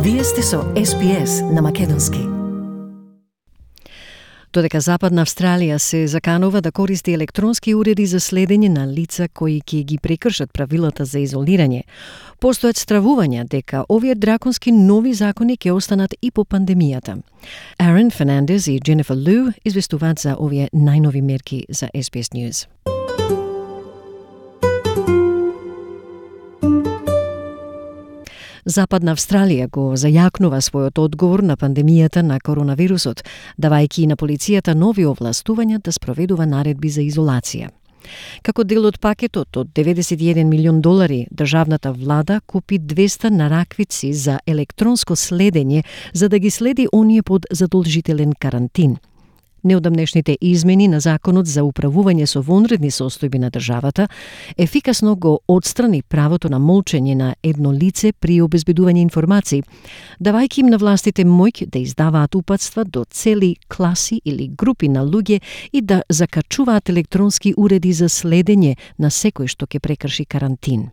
Вие сте со SPS на македонски. Додека Западна Австралија се заканува да користи електронски уреди за следење на лица кои ќе ги прекршат правилата за изолирање, постојат стравувања дека овие драконски нови закони ќе останат и по пандемијата. Aaron Fernandez и Jennifer Liu известуваат за овие најнови мерки за SBS News. Западна Австралија го зајакнува својот одговор на пандемијата на коронавирусот, давајќи на полицијата нови овластувања да спроведува наредби за изолација. Како дел од пакетот од $91 милион, државната влада купи 200 нараквици за електронско следење за да ги следи оние под задолжителен карантин. Неодамнешните измени на законот за управување со вонредни состојби на државата ефикасно го отстрани правото на молчење на едно лице при обезбедување информации, давајќи им на властите моќ да издаваат упатства до цели класи или групи на луѓе и да закачуваат електронски уреди за следење на секој што ќе прекрши карантин.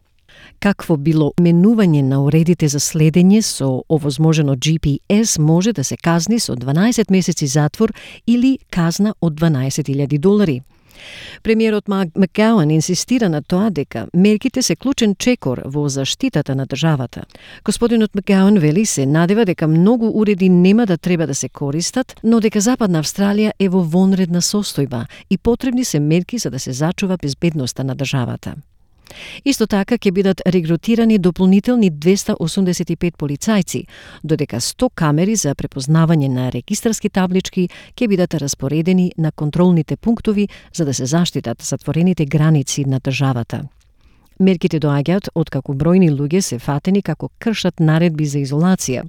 Какво било менување на уредите за следење со овозможено GPS може да се казни со 12 месеци затвор или казна од $12,000. Премиерот Макгауан инсистира на тоа дека мерките се клучен чекор во заштитата на државата. Господинот Макгауан вели се надева дека многу уреди нема да треба да се користат, но дека Западна Австралија е во вонредна состојба и потребни се мерки за да се зачува безбедноста на државата. Исто така ќе бидат регрутирани дополнителни 285 полицајци, додека 100 камери за препознавање на регистарски таблички ќе бидат распоредени на контролните пунктови за да се заштитат затворените граници на државата. Мерките доаѓаат откако бројни луѓе се фатени како кршат наредби за изолација.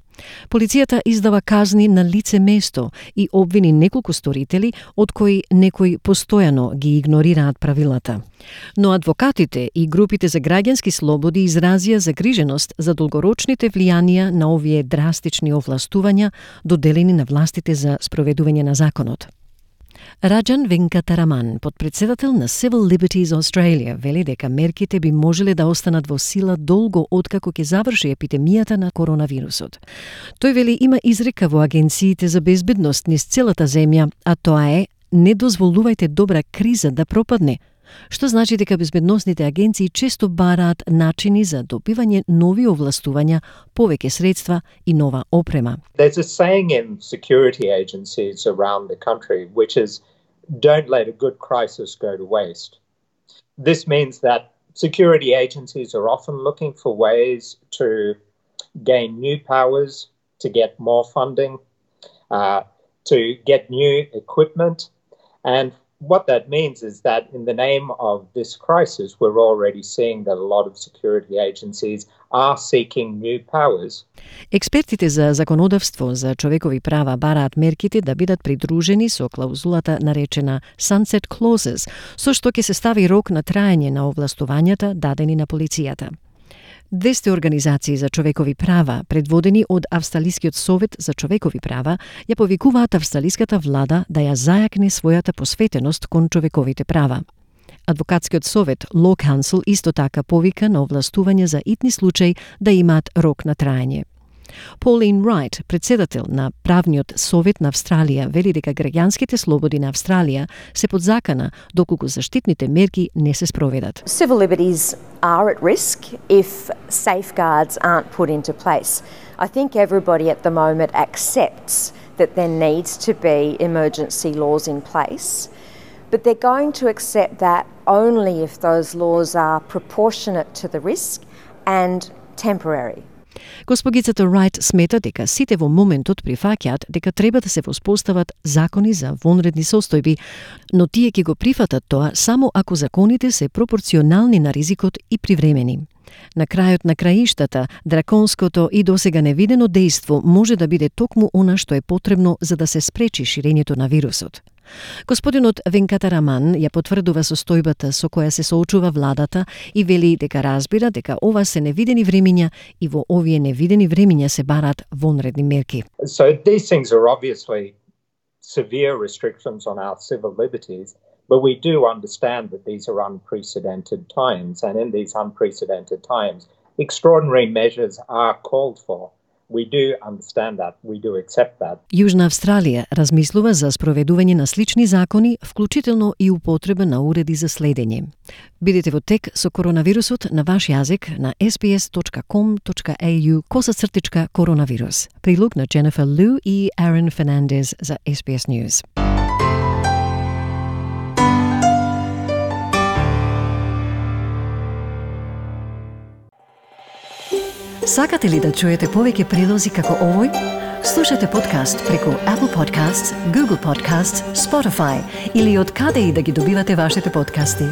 Полицијата издава казни на лице место и обвини неколку сторители, од кои некои постојано ги игнорираат правилата. Но адвокатите и групите за граѓански слободи изразија загриженост за долгорочните влијанија на овие драстични овластувања доделени на властите за спроведување на законот. Раджан Венкатараман, подпредседател на Civil Liberties Australia, вели дека мерките би можеле да останат во сила долго откако ќе заврши епидемијата на коронавирусот. Тој вели има изрека во агенциите за безбедност низ целата земја, а тоа е не дозволувајте добра криза да пропадне, што значи дека безбедносните агенции често бараат начини за добивање нови овластувања, повеќе средства и нова опрема. There's a saying in security agencies around the country which is don't let a good crisis go to waste. This means that security agencies are often looking for ways to gain new powers, to get more funding, to get new equipment, and what that means is that in the name of this crisis, we're already seeing that a lot of security agencies are seeking new powers. Експертите за законодавство за човекови права бараат мерките да бидат придружени со клаузулата наречена Sunset Clauses, со што ќе се стави рок на траење на овластувањата дадени на полицијата. 200 организации за човекови права, предводени од Австралискиот совет за човекови права, ја повикуваат австралиската влада да ја зајакне својата посветеност кон човековите права. Адвокатскиот совет Law Council исто така повика на овластување за итни случаи да имаат рок на траење. Pauline Wright, председател на Правниот совет на Австралија, вели дека граѓанските слободи на Австралија се под закана доколку заштитните мерки не се спроведат. Civil liberties are at risk if safeguards aren't put into place. I think everybody at the moment accepts that there needs to be emergency laws in place, but they're going to accept that only if those laws are proportionate to the risk and temporary. Госпогицата Райт смета дека сите во моментот прифаќаат дека треба да се воспостават закони за вонредни состојби, но тие ќе го прифатат тоа само ако законите се пропорционални на ризикот и привремени. На крајот на краиштата, драконското и досега невидено дејство може да биде токму она што е потребно за да се спречи ширењето на вирусот. Господинот Венкатараман ја потврдува состојбата со која се соочува владата и вели дека разбира дека ова се невидени времиња и во овие невидени времиња се бараат вонредни мерки. So these things are obviously severe restrictions on our civil liberties, but we do understand that these are unprecedented times, and in these unprecedented times, extraordinary measures are called for. We do understand that. We do accept that. Јужна Австралија размислува за спроведување на слични закони, вклучително и употреба на уреди за следење. Бидете во тек со коронавирусот на ваш јазик на sbs.com.au/коронавирус. Прилог на Jennifer Liu и Aaron Fernandez за SBS News. Сакате ли да чуете повеќе прилози како овој? Слушате подкаст преку Apple Podcasts, Google Podcasts, Spotify или од каде и да ги добивате вашите подкасти.